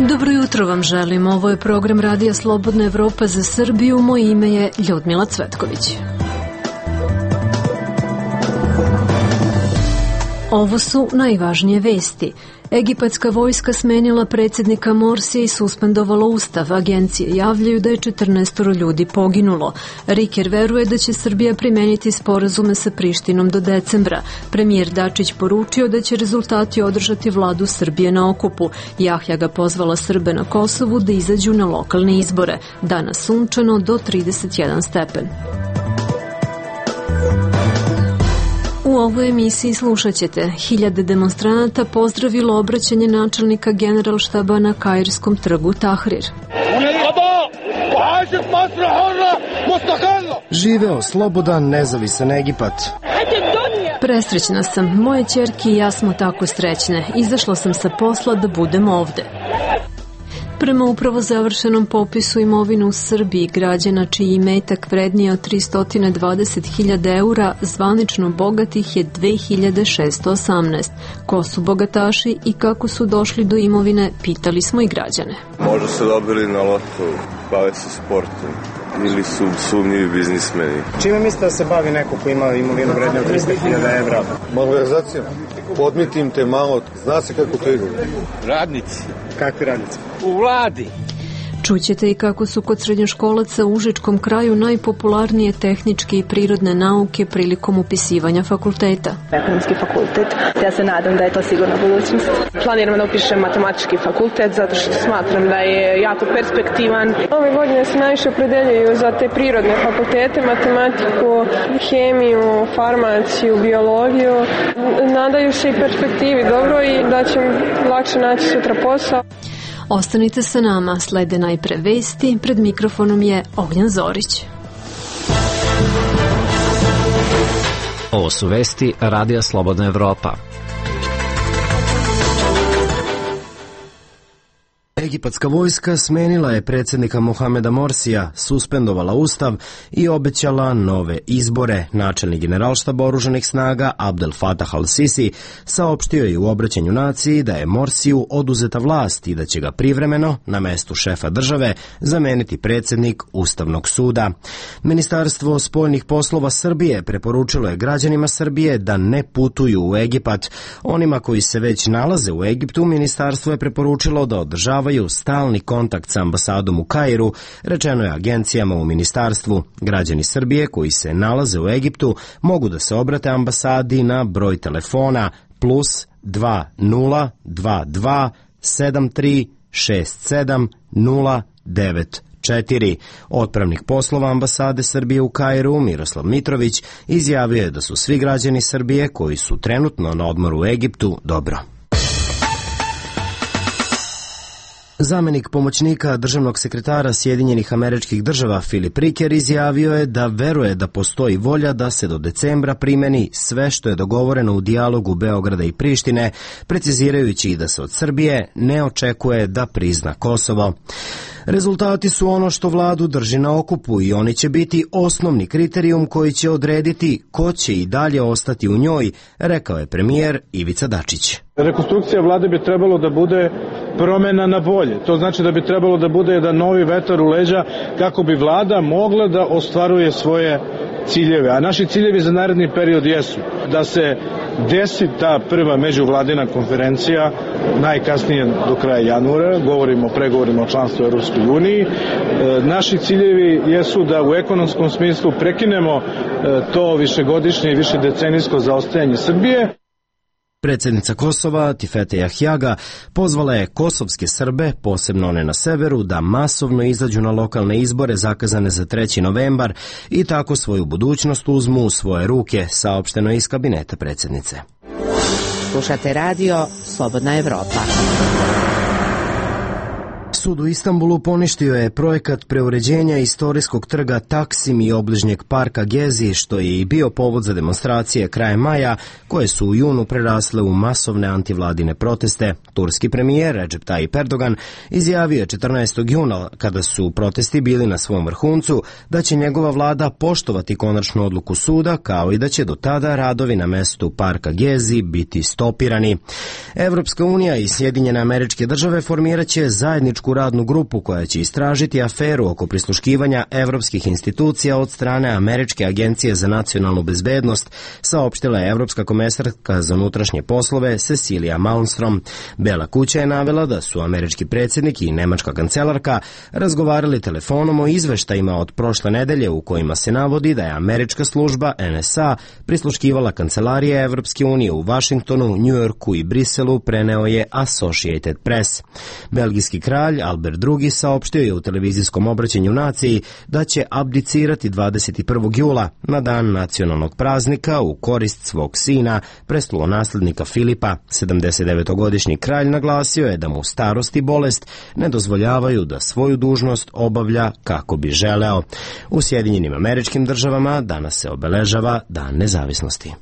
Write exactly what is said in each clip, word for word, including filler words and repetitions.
Dobro jutro vam želim. Ovo je program Radija Slobodna Evropa za Srbiju. Moje ime je Ljudmila Cvetković. Ovo su najvažnije vesti. Egipatska vojska smenila predsjednika Morsija i suspendovala ustav. Agencije javljaju da je četrnaestoro ljudi poginulo. Riker veruje da će Srbija primeniti sporazume sa Prištinom do decembra. Premijer Dačić poručio da će rezultati održati vladu Srbije na okupu. Jahja ga pozvala Srbe na Kosovu da izađu na lokalne izbore. Danas sunčano do trideset jedan stepen. U ovoj emisiji slušat ćete: hiljade demonstranata pozdravilo obraćanje načelnika Generalštaba na Kairskom trgu Tahrir. Živeo slobodan, nezavisan Egipat. Presrećna sam, moje ćerke i ja smo tako srećne. Izašla sam sa posla da budem ovde. Prema upravo završenom popisu imovine u Srbiji, građana čiji imetak vrednije od tristo dvadeset hiljada eura, zvanično bogatih je dve hiljade šessto osamnaest. Ko su bogataši i kako su došli do imovine, pitali smo i građane. Možda su dobili na lotu, bave se sportom ili su sumnjivi biznismeni. Čime mislite da se bavi neko ko ima imovinu vrednije od tristo hiljada evra? Malverzacijama. Podmitim te malo, zna se kako to ide. Radnici. Kakvi radnici? U vladi. Čućete i kako su kod srednjoškolaca u Užičkom kraju najpopularnije tehničke i prirodne nauke prilikom upisivanja fakulteta. Ekonomski fakultet, ja se nadam da je to sigurna budućnost. Planiram da upišem matematički fakultet zato što smatram da je jako perspektivan. Ove godine se najviše opredeljuju za te prirodne fakultete, matematiku, hemiju, farmaciju, biologiju. Nadaju se i perspektivi dobro i da će lakše naći sutra posao. Ostanite sa nama, slede najpre vesti, pred mikrofonom je Ognjan Zorić. Ovo su vesti Radija Slobodna Evropa. Egipatska vojska smenila je predsjednika Mohameda Morsija, suspendovala ustav i obećala nove izbore. Načelnik Generalštaba oružanih snaga Abdel Fattah al-Sisi saopštio je u obraćanju naciji da je Morsiju oduzeta vlast i da će ga privremeno na mestu šefa države zameniti predsjednik Ustavnog suda. Ministarstvo spoljnih poslova Srbije preporučilo je građanima Srbije da ne putuju u Egipat. Onima koji se već nalaze u Egiptu, ministarstvo je preporučilo da održavaju stalni kontakt sa ambasadom u Kairu, rečeno je agencijama u ministarstvu. Građani Srbije koji se nalaze u Egiptu mogu da se obrate ambasadi na broj telefona plus dva nula dva dva sedam tri šest sedam nula devet četiri. Otpravnik poslova ambasade Srbije u Kairu, Miroslav Mitrović, izjavio je da su svi građani Srbije koji su trenutno na odmoru u Egiptu dobro. Zamenik pomoćnika državnog sekretara Sjedinjenih Američkih Država Filip Riker izjavio je da veruje da postoji volja da se do decembra primeni sve što je dogovoreno u dijalogu Beograda i Prištine, precizirajući da se od Srbije ne očekuje da prizna Kosovo. Rezultati su ono što vladu drži na okupu i oni će biti osnovni kriterijum koji će odrediti ko će i dalje ostati u njoj, rekao je premijer Ivica Dačić. Rekonstrukcija vlade bi trebalo da bude promena na bolje. To znači da bi trebalo da bude jedan novi vetar u leđa kako bi vlada mogla da ostvaruje svoje ciljeve. A naši ciljevi za naredni period jesu da se desi ta prva međuvladina konferencija najkasnije do kraja januara, govorimo o pregovorima o članstvu u Europskoj uniji. E, naši ciljevi jesu da u ekonomskom smislu prekinemo e, to višegodišnje i višedecenijsko zaostajanje Srbije. Predsjednica Kosova, Tifete Jahjaga, pozvala je kosovske Srbe, posebno one na severu, da masovno izađu na lokalne izbore zakazane za treći novembar i tako svoju budućnost uzmu u svoje ruke, saopšteno je iz kabineta predsjednice. Slušate radio Slobodna Evropa. Sud u Istanbulu poništio je projekat preuređenja istorijskog trga Taksim i obližnjeg parka Gezi, što je i bio povod za demonstracije krajem maja, koje su u junu prerasle u masovne antivladine proteste. Turski premijer Recep Tayyip Erdogan izjavio je četrnaestog juna, kada su protesti bili na svom vrhuncu, da će njegova vlada poštovati konačnu odluku suda, kao i da će do tada radovi na mestu parka Gezi biti stopirani. Evropska unija i Sjedinjene Američke Države formirat će zajedničku radnu grupu koja će istražiti aferu oko prisluškivanja evropskih institucija od strane Američke agencije za nacionalnu bezbednost, saopštila je evropska komesarka za unutrašnje poslove Cecilia Malmstrom. Bela kuća je navela da su američki predsjednik i nemačka kancelarka razgovarali telefonom o izveštajima od prošle nedelje u kojima se navodi da je američka služba N S A prisluškivala kancelarije Evropske unije u Vašingtonu, Njujorku i Briselu, preneo je Associated Press. Belgijski kralj Albert drugi saopštio je u televizijskom obraćanju naciji da će abdicirati dvadeset prvog jula na dan nacionalnog praznika u korist svog sina, prestolonaslednika Filipa. sedamdesetdevetogodišnji kralj naglasio je da mu starost i bolest ne dozvoljavaju da svoju dužnost obavlja kako bi želeo. U Sjedinjenim Američkim Državama danas se obeležava Dan nezavisnosti.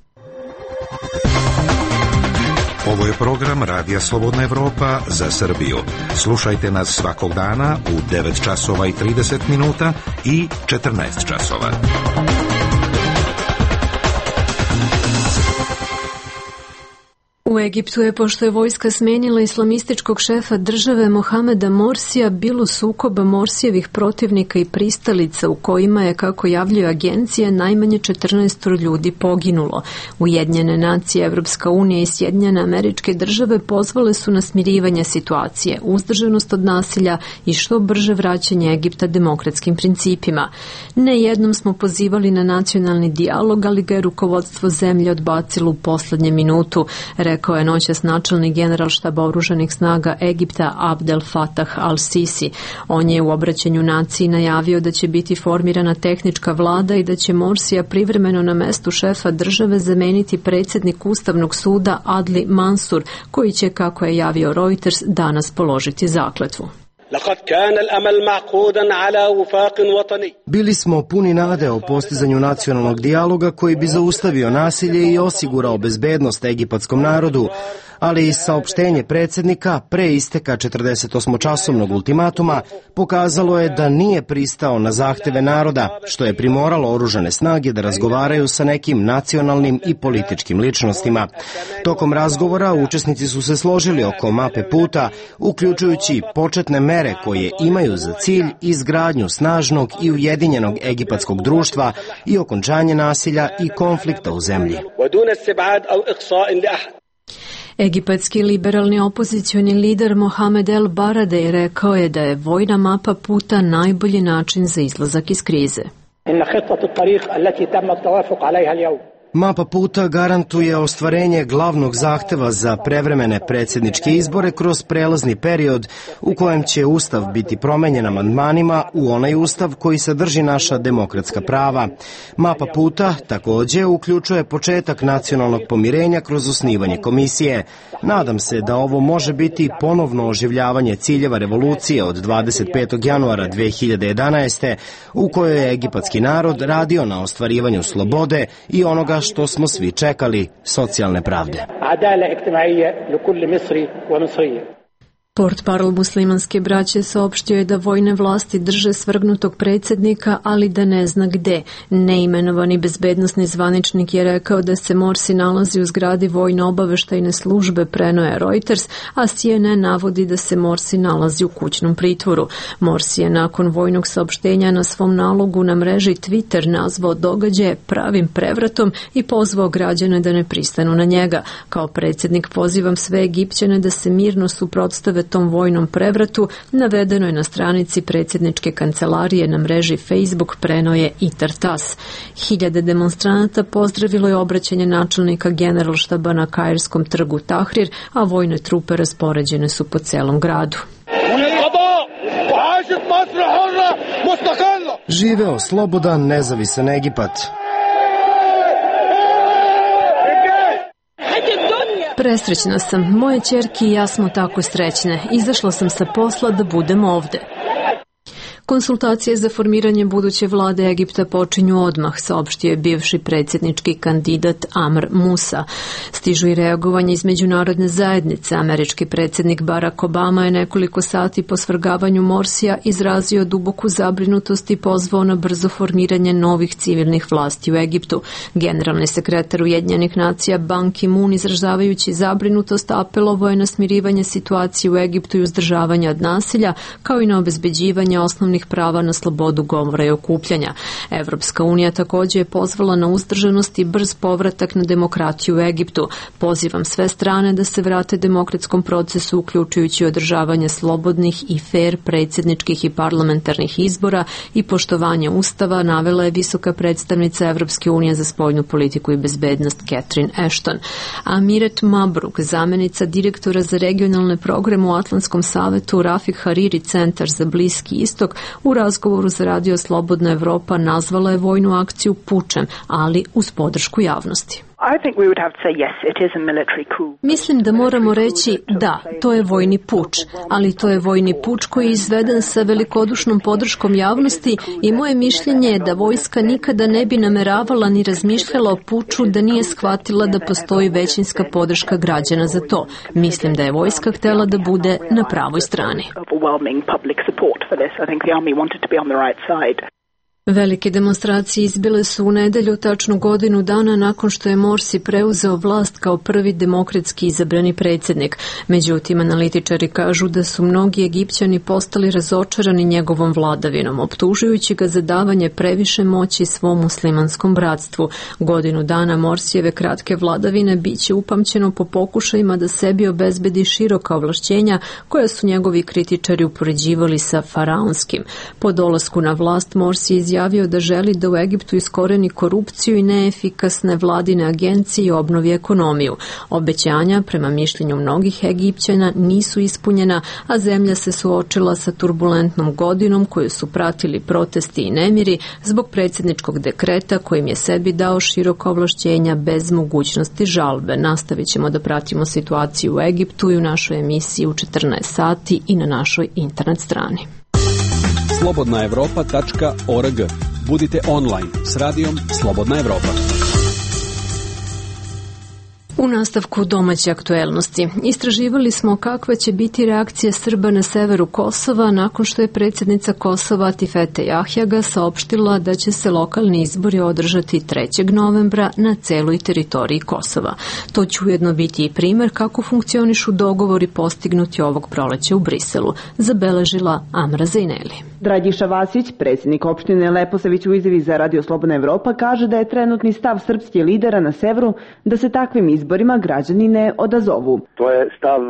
Ovo je program Radija Slobodna Evropa za Srbiju. Slušajte nas svakog dana u devet časova i trideset minuta i četrnaest časova. U Egiptu je, pošto je vojska smenila islamističkog šefa države Mohameda Morsija, bilo sukoba Morsijevih protivnika i pristalica u kojima je, kako javljaju agencije, najmanje četrnaest ljudi poginulo. Ujedinjene nacije, Evropska unija i Sjedinjene Američke Države pozvale su na smirivanje situacije, uzdržanost od nasilja i što brže vraćanje Egipta demokratskim principima. Ne jednom smo pozivali na nacionalni dijalog, ali ga je rukovodstvo zemlje odbacilo u poslednje minutu, rekao je noćas načelnik generalštaba oružanih snaga Egipta Abdel Fattah al-Sisi. On je u obraćanju naciji najavio da će biti formirana tehnička vlada i da će Morsija privremeno na mestu šefa države zameniti predsjednik Ustavnog suda Adli Mansur, koji će, kako je javio Reuters, danas položiti zakletvu. Bili smo puni nade o postizanju nacionalnog dijaloga koji bi zaustavio nasilje i osigurao bezbednost egipatskom narodu, ali i saopštenje predsjednika pre isteka četrdesetosmočasovnog ultimatuma pokazalo je da nije pristao na zahteve naroda, što je primoralo oružane snage da razgovaraju sa nekim nacionalnim i političkim ličnostima. Tokom razgovora učesnici su se složili oko mape puta, uključujući početne mere koje imaju za cilj izgradnju snažnog i ujedinjenog egipatskog društva i okončanje nasilja i konflikta u zemlji. Egipatski liberalni opozicioni lider Mohamed El Baradei rekao je da je vojna mapa puta najbolji način za izlazak iz krize. Mapa puta garantuje ostvarenje glavnog zahteva za prevremene predsjedničke izbore kroz prelazni period u kojem će Ustav biti promenjen amandmanima u onaj Ustav koji sadrži naša demokratska prava. Mapa puta također uključuje početak nacionalnog pomirenja kroz osnivanje komisije. Nadam se da ovo može biti ponovno oživljavanje ciljeva revolucije od dvadeset petog januara dve hiljade jedanaeste. u kojoj je egipatski narod radio na ostvarivanju slobode i onoga što smo svi čekali, socijalne pravde. Portparol muslimanske braće saopštio je da vojne vlasti drže svrgnutog predsjednika, ali da ne zna gde. Neimenovani bezbednosni zvaničnik je rekao da se Morsi nalazi u zgradi vojno obaveštajne službe, preneo je Reuters, a C N N navodi da se Morsi nalazi u kućnom pritvoru. Morsi je nakon vojnog saopštenja na svom nalogu na mreži Twitter nazvao događaje pravim prevratom i pozvao građane da ne pristanu na njega. Kao predsjednik pozivam sve Egipćane da se mirno suprotstave tom vojnom prevratu, navedeno je na stranici predsjedničke kancelarije na mreži Facebook, preneo je i Tartas. Hiljade demonstranata pozdravilo je obraćanje načelnika generalštaba na Kairskom trgu Tahrir, a vojne trupe raspoređene su po celom gradu. Živeo slobodan, nezavisan Egipat. Presrećna sam. Moje ćerke i ja smo tako srećne. Izašla sam sa posla da budem ovde. Konsultacije za formiranje buduće vlade Egipta počinju odmah, saopštio je bivši predsjednički kandidat Amr Musa. Stižu i reagovanje iz međunarodne zajednice. Američki predsjednik Barack Obama je nekoliko sati po svrgavanju Morsija izrazio duboku zabrinutost i pozvao na brzo formiranje novih civilnih vlasti u Egiptu. Generalni sekretar Ujedinjenih nacija Ban Ki-moon, izražavajući zabrinutost, apelovao je na smirivanje situacije u Egiptu i uzdržavanje od nasilja, kao i na obezbeđivanje osnovnih prava na slobodu govora i okupljanja. Evropska unija također je pozvala na uzdržanost i brz povratak na demokratiju u Egiptu. Pozivam sve strane da se vrate demokratskom procesu, uključujući održavanje slobodnih i fer predsjedničkih i parlamentarnih izbora i poštovanje Ustava, navela je visoka predstavnica Evropske unije za spoljnu politiku i bezbednost Catherine Ashton. Amiret Mabruk, zamjenica direktora za regionalne programe u Atlantskom savetu Rafik Hariri centar za Bliski istok, u razgovoru za radio Slobodna Evropa nazvala je vojnu akciju pučem, ali uz podršku javnosti. Mislim da moramo reći da, to je vojni puč, ali to je vojni puč koji je izveden sa velikodušnom podrškom javnosti i moje mišljenje je da vojska nikada ne bi nameravala ni razmišljala o puču da nije shvatila da postoji većinska podrška građana za to. Mislim da je vojska htjela da bude na pravoj strani. Velike demonstracije izbile su u nedelju, tačno godinu dana nakon što je Morsi preuzeo vlast kao prvi demokratski izabrani predsjednik. Međutim, analitičari kažu da su mnogi Egipćani postali razočarani njegovom vladavinom, optužujući ga za davanje previše moći svom muslimanskom bratstvu. Godinu dana Morsijeve kratke vladavine biće upamćeno po pokušajima da sebi obezbedi široka ovlašćenja koja su njegovi kritičari upoređivali sa faraonskim. Po dolasku na vlast Morsi izjavio izjavio da želi da u Egiptu iskoreni korupciju i neefikasne vladine agencije i obnovi ekonomiju. Obećanja, prema mišljenju mnogih Egipćana, nisu ispunjena, a zemlja se suočila sa turbulentnom godinom koju su pratili protesti i nemiri zbog predsjedničkog dekreta kojim je sebi dao široka ovlašćenja bez mogućnosti žalbe. Nastavit ćemo da pratimo situaciju u Egiptu i u našoj emisiji u četrnaest sati i na našoj internet strani. slobodna evropa tačka org. Budite online s radijom Slobodna Evropa. U nastavku domaće aktuelnosti istraživali smo kakva će biti reakcija Srba na severu Kosova nakon što je predsjednica Kosova Atifete Jahjaga saopštila da će se lokalni izbori održati trećeg novembra na celoj teritoriji Kosova. To će ujedno biti i primjer kako funkcionišu dogovori postignuti ovog proleća u Briselu, zabeležila Amra Zejneli. Dragiša Vasić, predsjednik opštine Leposavić, u izjavi za Radio Slobodna Evropa kaže da je trenutni stav srpskih lidera na severu da se takvim izborima građani ne odazovu. To je stav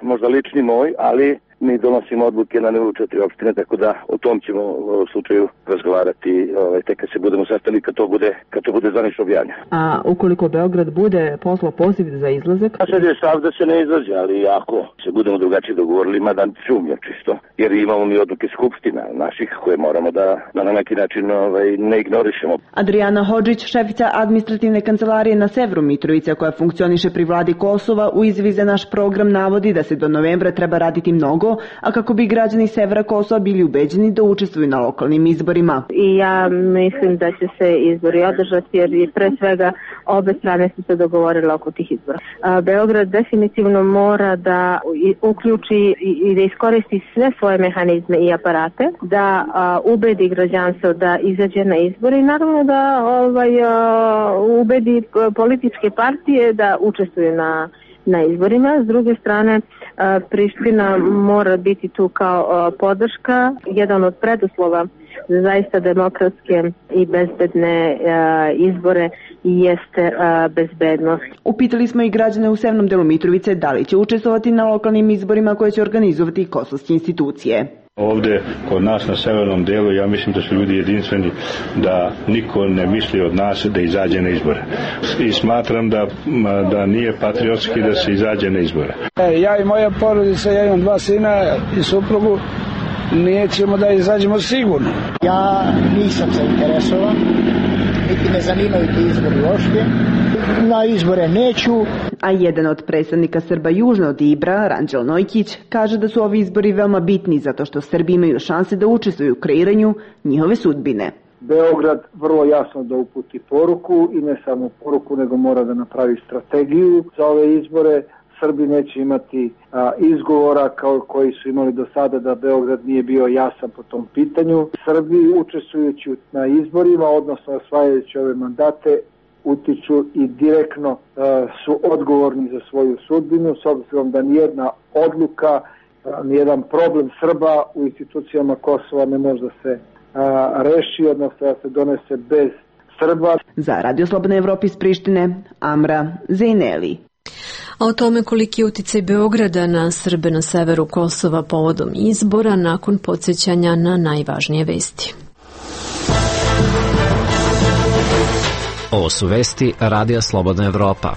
možda lični moj, ali mi donosimo odluke na nivou četiri opštine, tako da o tom ćemo u slučaju razgovarati ovaj, tek kad se budemo sastali, kad to bude, kad to bude zvanično objavljeno. A ukoliko Beograd bude poslao poziv za izlazak? A sad je stav da se ne izlazi, ali ako se budemo drugačije dogovorili, mada sumnjam čisto, jer imamo mi odluke skupština naših koje moramo da, da na neki način ovaj, ne ignorišemo. Adriana Hodžić, šefica administrativne kancelarije na severu Mitrovice, koja funkcioniše pri vladi Kosova, u izjavi za naš program navodi da se do novembra treba raditi mnogo, a kako bi građani severa Kosova bili ubeđeni da učestvuju na lokalnim izborima. I ja mislim da će se izbori održati jer i pre svega obe strane su se dogovorile oko tih izbora. A, Beograd definitivno mora da uključi i da iskoristi sve svoje mehanizme i aparate, da a, ubedi građanstvo da izađe na izbore i naravno da ovaj, a, ubedi političke partije da učestvuju na na izborima. S druge strane, Priština mora biti tu kao podrška. Jedan od preduslova za zaista demokratske i bezbedne izbore jeste bezbednost. Upitali smo i građane u severnom delu Mitrovice da li će učestvovati na lokalnim izborima koje će organizovati kosovske institucije. Ovde kod nas na severnom delu ja mislim da su ljudi jedinstveni, da niko ne misli od nas da izađe na izbore. I smatram da, da nije patriotski da se izađe na izbore. Ja i moja porodica, ja imam dva sina i suprugu, nećemo da izađemo sigurno. Ja nisam zainteresovan, niti me zanimaju ti izbori uopšte. na izbore neću. A jedan od predstavnika Srba južno od Ibra, Ranđel Nojkić, kaže da su ovi izbori veoma bitni zato što Srbi imaju šanse da učestvuju u kreiranju njihove sudbine. Beograd vrlo jasno da uputi poruku i ne samo poruku, nego mora da napravi strategiju za ove izbore. Srbi neće imati a, izgovora kao koji su imali do sada da Beograd nije bio jasan po tom pitanju. Srbi učestvujući na izborima, odnosno osvajajući ove mandate, utiču i direktno a, su odgovorni za svoju sudbinu, s obzirom da nijedna odluka, a, nijedan problem Srba u institucijama Kosova ne može da se a, reši, odnosno da se donese bez Srba. Za Radio Slobodna Evropa iz Prištine, Amra Zejneli. A o tome koliki je uticaj Beograda na Srbe na severu Kosova povodom izbora nakon podsjećanja na najvažnije vesti. Ovo su vesti Radija Slobodna Evropa.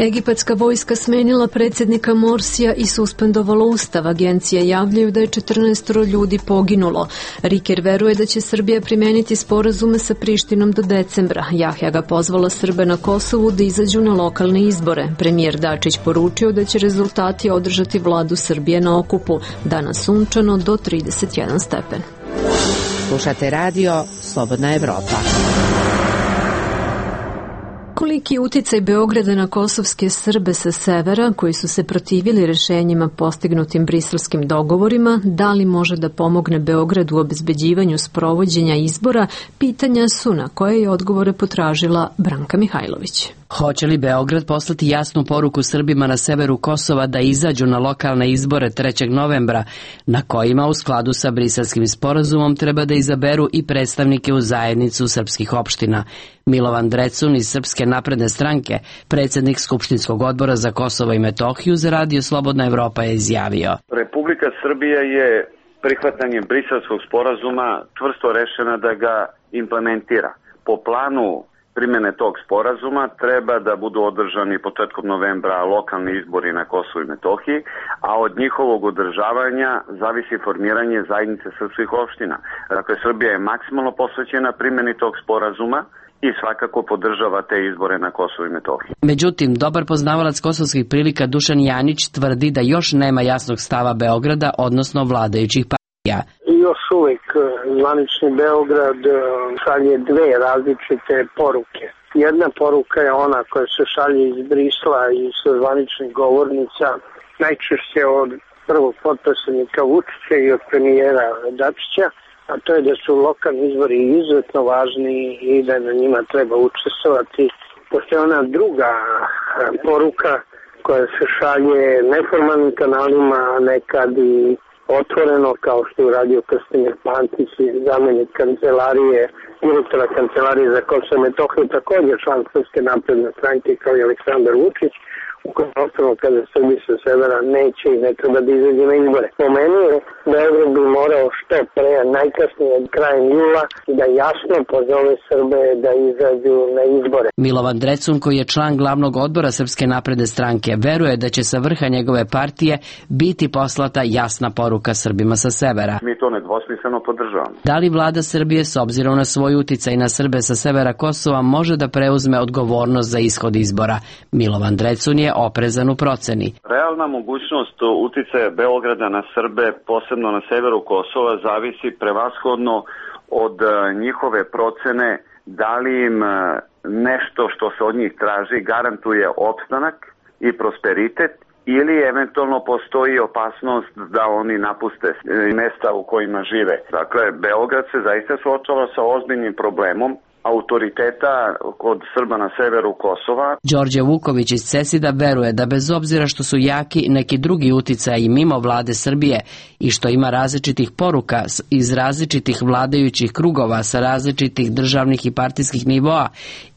Egipatska vojska smenila predsjednika Morsija i suspendovala ustav. Agencije javljaju da je četrnaestoro ljudi poginulo. Riker veruje da će Srbija primeniti sporazume sa Prištinom do decembra. Jahja ga pozvala Srbe na Kosovu da izađu na lokalne izbore. Premijer Dačić poručio da će rezultati održati vladu Srbije na okupu. Danas sunčano do trideset jedan stepen. Slušate radio Slobodna Evropa. Koliki je uticaj Beograda na kosovske Srbe sa severa koji su se protivili rešenjima postignutim briselskim dogovorima, da li može da pomogne Beogradu u obezbeđivanju sprovođenja izbora, pitanja su na koje je odgovore potražila Branka Mihajlović. Hoće li Beograd poslati jasnu poruku Srbima na severu Kosova da izađu na lokalne izbore trećeg novembra, na kojima u skladu sa briselskim sporazumom treba da izaberu i predstavnike u zajednicu srpskih opština? Milovan Drecun iz Srpske napredne stranke, predsjednik Skupštinskog odbora za Kosovo i Metohiju, za Radio Slobodna Evropa je izjavio. Republika Srbija je prihvatanjem briselskog sporazuma čvrsto rešena da ga implementira. Po planu primjene tog sporazuma treba da budu održani početkom novembra lokalni izbori na Kosovu i Metohiji, a od njihovog održavanja zavisi formiranje zajednice srpskih opština. Dakle, Srbija je maksimalno posvećena primjeni tog sporazuma i svakako podržava te izbore na Kosovu i Metohiji. Međutim, dobar poznavalac kosovskih prilika Dušan Janić tvrdi da još nema jasnog stava Beograda, odnosno vladajućih partija. Još uvijek zvanični Beograd šalje dve različite poruke. Jedna poruka je ona koja se šalje iz Brisla i sa zvaničnih govornica, najčešće od prvog potpredsjednika Vučića i od premijera Dačića, a to je da su lokalni izbori izuzetno važni i da na njima treba učestvovati. Postoje ona druga poruka koja se šalje neformalnim kanalima, nekad i otvoreno, kao što je uradio Krstimir Pantić, zamjenik kancelarije, direktora kancelarije za Kosovo i Metohiju, također član Srpske napredne stranke kao i Aleksandar Vučić, u kojem osnovno kada Srbi sa severa neće i ne treba da izađe na izbore. Po meni je Beograd bi morao što pre, najkasnije krajem jula, da jasno pozove Srbe da izađu na izbore. Milovan Drecun, koji je član glavnog odbora Srpske napredne stranke, veruje da će sa vrha njegove partije biti poslata jasna poruka Srbima sa severa. Mi to nedvosmisleno podržavamo. Da li vlada Srbije, s obzirom na svoj uticaj na Srbe sa severa Kosova, može da preuzme odgovornost za ishod izbora? Milovan Drecun je oprezan u proceni. Realna mogućnost uticaja Beograda na Srbe, posebno na severu Kosova, zavisi prevashodno od njihove procene da li im nešto što se od njih traži garantuje opstanak i prosperitet ili eventualno postoji opasnost da oni napuste mesta u kojima žive. Dakle, Beograd se zaista suočava sa ozbiljnim problemom autoriteta kod Srba na severu Kosova. Đorđe Vuković iz Cesida veruje da bez obzira što su jaki neki drugi uticaji mimo vlade Srbije i što ima različitih poruka iz različitih vladajućih krugova sa različitih državnih i partijskih nivoa,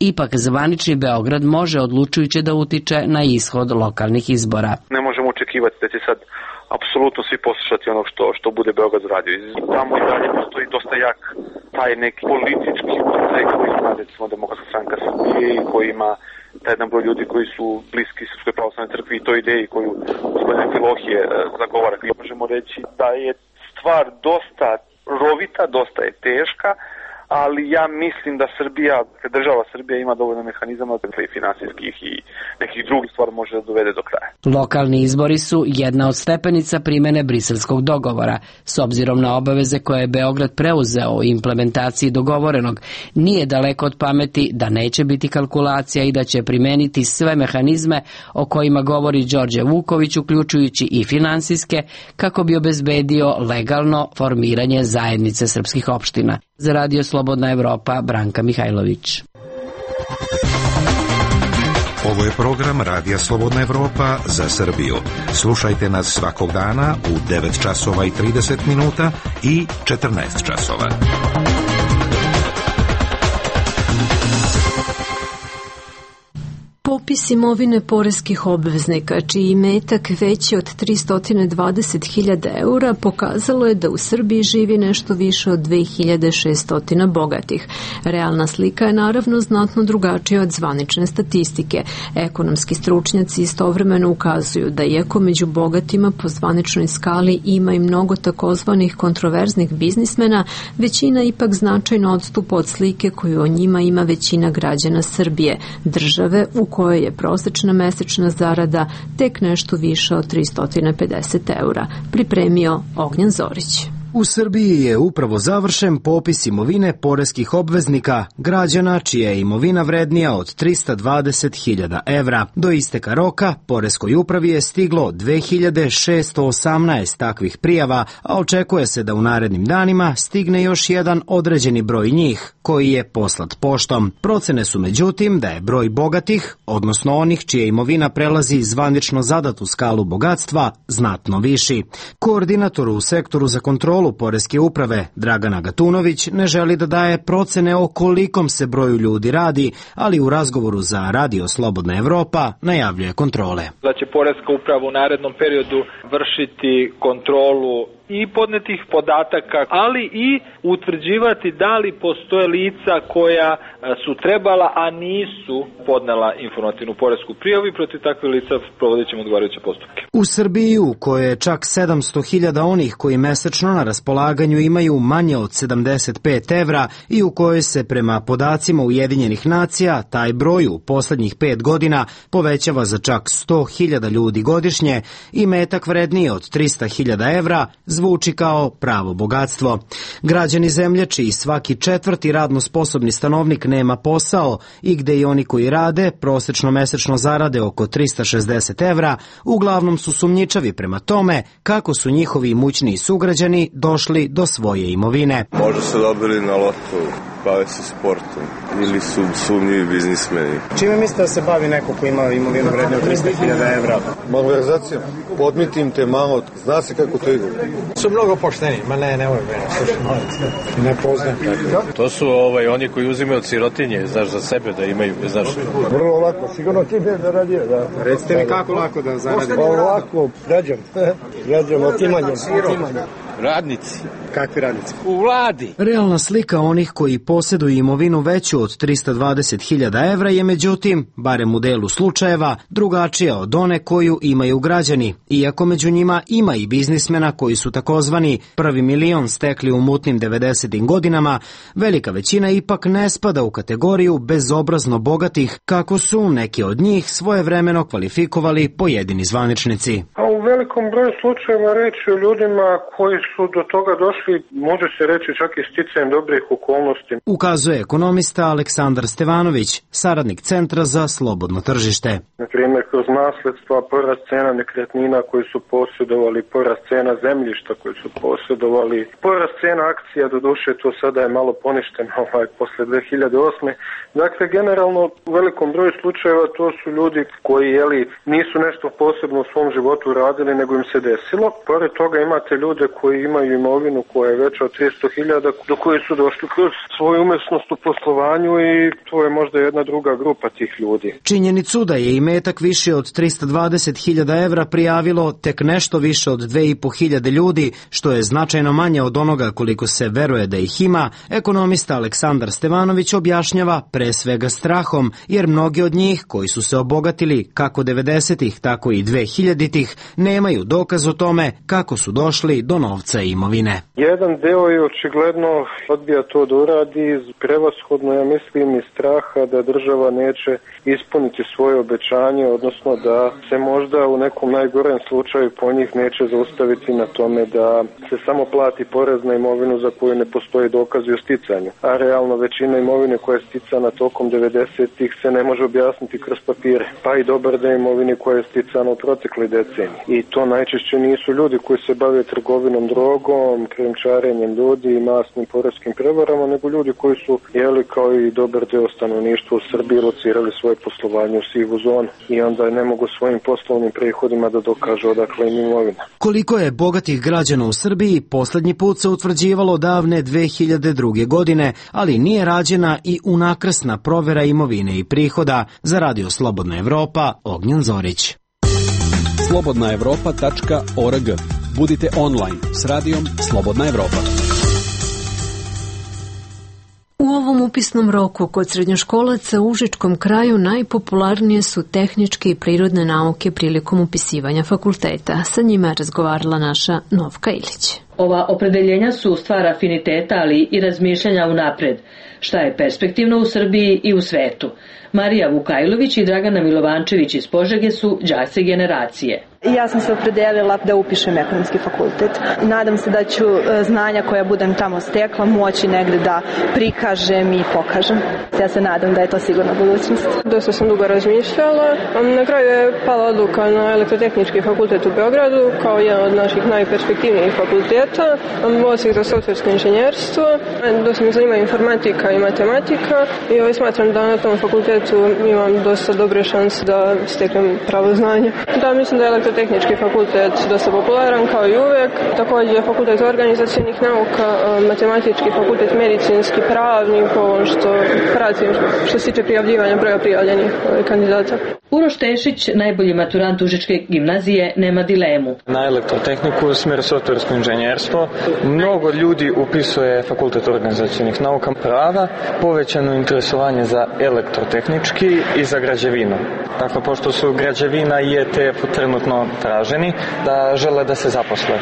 ipak zvanični Beograd može odlučujuće da utiče na ishod lokalnih izbora. Ne možemo očekivati da će sad apsolutno svi poslušati ono što, što bude Beograd radio. Tamo i dalje postoji dosta jak taj neki politički utjecaj koji ima, recimo, Demokratska stranka Srbije i koji ima taj jedan broj ljudi koji su bliski Srpskoj pravoslavnoj crkvi i toj ideji koju gospodin Filohije zagovara. Možemo reći da je stvar dosta rovita, dosta je teška, ali ja mislim da Srbija, država Srbija ima dovoljno mehanizama i finansijskih i nekih drugih stvari može da dovede do kraja. Lokalni izbori su jedna od stepenica primene briselskog dogovora. S obzirom na obaveze koje je Beograd preuzeo o implementaciji dogovorenog, nije daleko od pameti da neće biti kalkulacija i da će primeniti sve mehanizme o kojima govori Đorđe Vuković, uključujući i finansijske, kako bi obezbedio legalno formiranje zajednice srpskih opština. Za Radio Slobodna Evropa, Branka Mihajlović. Ovo je program Radija Slobodna Evropa za Srbiju. Slušajte nas svakog dana u devet časova i trideset minuta i četrnaest časova. Popis imovine poreskih obveznika, čiji imetak veći od tristo dvadeset hiljada eura, pokazalo je da u Srbiji živi nešto više od dve hiljade šesto bogatih. Realna slika je naravno znatno drugačija od zvanične statistike. Ekonomski stručnjaci istovremeno ukazuju da iako među bogatima po zvaničnoj skali ima i mnogo takozvanih kontroverznih biznismena, većina ipak značajno odstupa od slike koju o njima ima većina građana Srbije, države u kojoj je prosečna mesečna zarada tek nešto više od tristo pedeset eura, pripremio Ognjan Zorić. U Srbiji je upravo završen popis imovine poreskih obveznika, građana čija je imovina vrednija od tristo dvadeset hiljada evra. Do isteka roka poreskoj upravi je stiglo dve hiljade šesto osamnaest takvih prijava, a očekuje se da u narednim danima stigne još jedan određeni broj njih, koji je poslat poštom. Procene su međutim da je broj bogatih, odnosno onih čija imovina prelazi zvanično zadatu skalu bogatstva, znatno viši. Koordinator u sektoru za kontrolu poreske uprave Dragana Gatunović ne želi da daje procene o kolikom se broju ljudi radi, ali u razgovoru za Radio Slobodna Evropa najavljuje kontrole. Da će poreska uprava u narednom periodu vršiti kontrolu i podnetih podataka, ali i utvrđivati da li postoje lica koja su trebala, a nisu podnela informativnu poresku prijavu i protiv takvih lica provodit ćemo odgovarajuće postupke. U Srbiji, u kojoj je čak sedamsto hiljada onih koji mesečno na raspolaganju imaju manje od sedamdeset pet evra i u kojoj se prema podacima Ujedinjenih nacija taj broj u poslednjih pet godina povećava za čak sto hiljada ljudi godišnje i metak vredniji od tristo hiljada evra zvuči kao pravo bogatstvo. Građani zemlje čiji svaki četvrti radno sposobni stanovnik nema posao i gde i oni koji rade prosečno mesečno zarade oko tristo šezdeset evra, uglavnom su sumnjičavi prema tome kako su njihovi imućniji sugrađani došli do svoje imovine. Možda su dobili na lotu, bave se sportom ili su sumnjivi biznismeni. Čime mislite da se bavi neko ko ima imovinu vredniju od tristo hiljada evra? Malverzacijom. Podmitim te malo, zna se kako to ide. Su mnogo pošteni, ma ne, nemoj mene, slušaj, molim te. Ne poznam tako. To su ovaj, oni koji uzimaju od sirotinje, znaš, za sebe da imaju, znaš. Vrlo lako, sigurno ti ne zaradio, da. Recite mi kako lako da zaradim? Pa lako, građan, građan, otimanjem, otimanjem. Radnici. Kakvi radnici? U vladi. Realna slika onih koji posjeduju imovinu veću od tristo dvadeset hiljada evra je međutim, barem u delu slučajeva, drugačija od one koju imaju građani, iako među njima ima i biznismena koji su takozvani prvi milion stekli u mutnim devedesetim godinama, velika većina ipak ne spada u kategoriju bezobrazno bogatih, kako su neki od njih svojevremeno kvalifikovali pojedini zvaničnici. A u velikom broju slučajeva reći o ljudima koji su do toga došli, može se reći čak i sticajem dobrih okolnosti. Ukazuje ekonomista Aleksandar Stevanović, saradnik Centra za slobodno tržište. Na primjer, kroz nasledstva, porast cena nekretnina koji su posjedovali, porast cena zemljišta koji su posjedovali, porast cena akcija, do duše to sada je malo poništeno ovaj, posle dve hiljade osme. Dakle, generalno u velikom broju slučajeva to su ljudi koji jeli, nisu nešto posebno u svom životu radili, nego im se desilo. Pored toga imate ljude koji imaju imovinu koja je veća od tristo hiljada, do koje su došli kroz svoju umesnost u poslovanju i to je možda jedna druga grupa tih ljudi. Činjenicu da je imetak gubitak više od trista dvadeset hiljada evra prijavilo tek nešto više od dve i po hiljade ljudi, što je značajno manje od onoga koliko se veruje da ih ima. Ekonomista Aleksandar Stevanović objašnjava pre svega strahom, jer mnogi od njih koji su se obogatili kako devedesetih tako i dvehiljaditih nemaju dokaz o tome kako su došli do novca i imovine. Jedan deo je očigledno odbija to da uradi iz prevashodno, ja mislim, iz straha da država neće ispuniti svoje obećanje, odnosno da se možda u nekom najgorem slučaju po njih neće zaustaviti na tome da se samo plati porez na imovinu za koju ne postoji dokazi o sticanju. A realno većina imovine koja je sticana tokom devedesetih se ne može objasniti kroz papire, pa i dobar deo imovine koja je sticana u protekloj deceniji. I to najčešće nisu ljudi koji se bave trgovinom drogom, krijumčarenjem ljudi i masnim poreskim prevarama, nego ljudi koji su, jeli, kao i dobar deo stanovništva u Srbiji, locirali svoje poslovanje u sivu zonu i onda ne mogu svojim poslovnim prihodima da dokažu odakle im imovina. Koliko je bogatih građana u Srbiji poslednji put se utvrđivalo davne dve hiljade druge. godine, ali nije rađena i unakrsna provera imovine i prihoda. Za Radio Slobodna Evropa, Ognjen Zorić. slobodna evropa tačka org. Budite online s radijom Slobodna Evropa. U ovom upisnom roku kod srednjoškolaca u užičkom kraju najpopularnije su tehničke i prirodne nauke prilikom upisivanja fakulteta. Sa njima je razgovarala naša Novka Ilić. Ova opredeljenja su stvar afiniteta, ali i razmišljanja unapred, šta je perspektivno u Srbiji i u svetu. Marija Vukajlović i Dragana Milovančević iz Požege su đaci generacije. Ja sam se opredelila da upišem ekonomski fakultet. Nadam se da ću znanja koja budem tamo stekla moći negde da prikažem i pokažem. Ja se nadam da je to sigurna budućnost. Dosta sam dugo razmišljala. Na kraju je pala odluka na elektrotehnički fakultet u Beogradu kao jedan od naših najperspektivnijih fakulteta. Osim za softversko inženjerstvo. Dosta me zanima informatika i matematika i ovaj smatram da na tom fakultetu imam dosta dobre šanse da steknem pravo znanje. Da, mislim da je tehnički fakultet dosta popularan kao i uvek, također fakultet organizacijnih nauka, matematički fakultet, medicinski, pravni, po ovom što pratim što se tiče prijavljivanja broja prijavljenih kandidata. Uroš Tešić, najbolji maturant Užičke gimnazije, nema dilemu. Na elektrotehniku u smjeru softversko inženjerstvo mnogo ljudi upisuje fakultet organizacijnih nauka, prava, povećano interesovanje za elektrotehnički i za građevinu. Dakle, pošto su građevina i E T F trenutno traženi, da žele da se zaposle,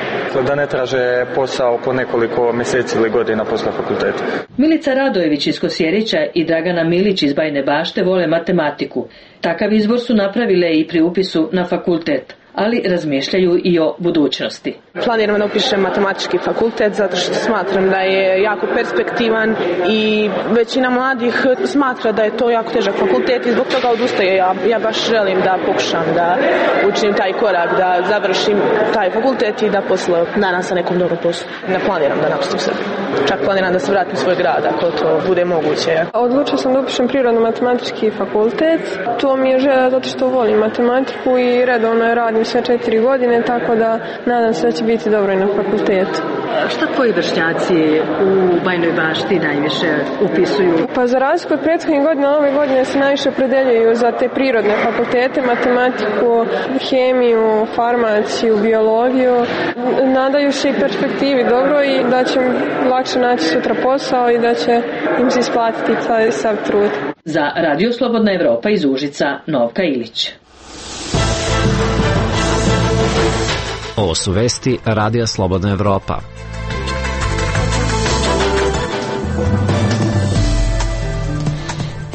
da ne traže posao po nekoliko mjeseci ili godina posle fakulteta. Milica Radojević iz Kosjerića i Dragana Milić iz Bajne Bašte vole matematiku. Takav izbor su napravile i pri upisu na fakultet, ali razmišljaju i o budućnosti. Planiram da upišem matematički fakultet zato što smatram da je jako perspektivan i većina mladih smatra da je to jako težak fakultet i zbog toga odustaje. Ja, ja baš želim da pokušam da učinim taj korak, da završim taj fakultet i da posle danas sa nekom dobrom poslu. Ne planiram da napustim Srbiju. Čak planiram da se vratim u svoj grad ako to bude moguće. Odlučila sam da upišem prirodno-matematički fakultet. To mi je želja zato što volim matematiku i redovno radim sve četiri godine, tako da nadam se da će biti dobro i na fakultetu. Šta tvoji vršnjaci u Bajnoj Bašti najviše upisuju? Pa za razliku od prethodnih godina, ove godine se najviše opredeljuju za te prirodne fakultete, matematiku, hemiju, farmaciju, biologiju. Nadaju se i perspektivi dobro i da će lakše naći sutra posao i da će im se isplatiti taj sav trud. Za Radio Slobodna Evropa iz Užica, Novka Ilić. Ovo su vesti Radija Slobodna Evropa.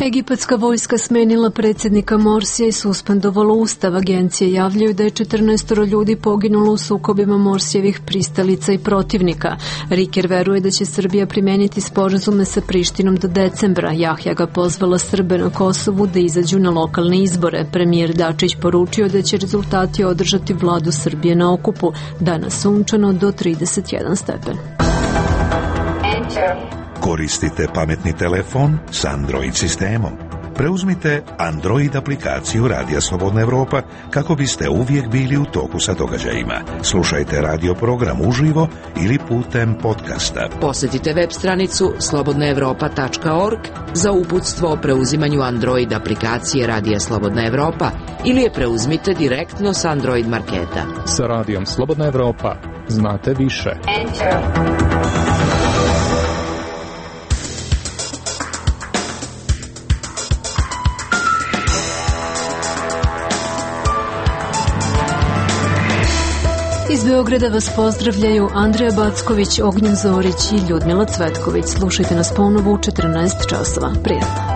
Egipatska vojska smenila predsjednika Morsija i suspendovala ustav. Agencije javljaju da je četrnaestoro ljudi poginulo u sukobima Morsijevih pristalica i protivnika. Riker veruje da će Srbija primeniti sporazume sa Prištinom do decembra. Jahja ga pozvala Srbe na Kosovu da izađu na lokalne izbore. Premijer Dačić poručio da će rezultati održati vladu Srbije na okupu. Danas sunčano do trideset jedan stepen. Koristite pametni telefon s Android sistemom. Preuzmite Android aplikaciju Radija Slobodna Evropa kako biste uvijek bili u toku sa događajima. Slušajte radio program uživo ili putem podcasta. Posjetite web stranicu slobodna evropa tačka org za uputstvo o preuzimanju Android aplikacije Radija Slobodna Evropa ili je preuzmite direktno sa Android marketa. Sa radijom Slobodna Evropa znate više. Iz Beograda vas pozdravljaju Andreja Backović, Ognjen Zorić i Ljudmila Cvetković. Slušajte nas ponovo u četrnaest časova. Prijatno.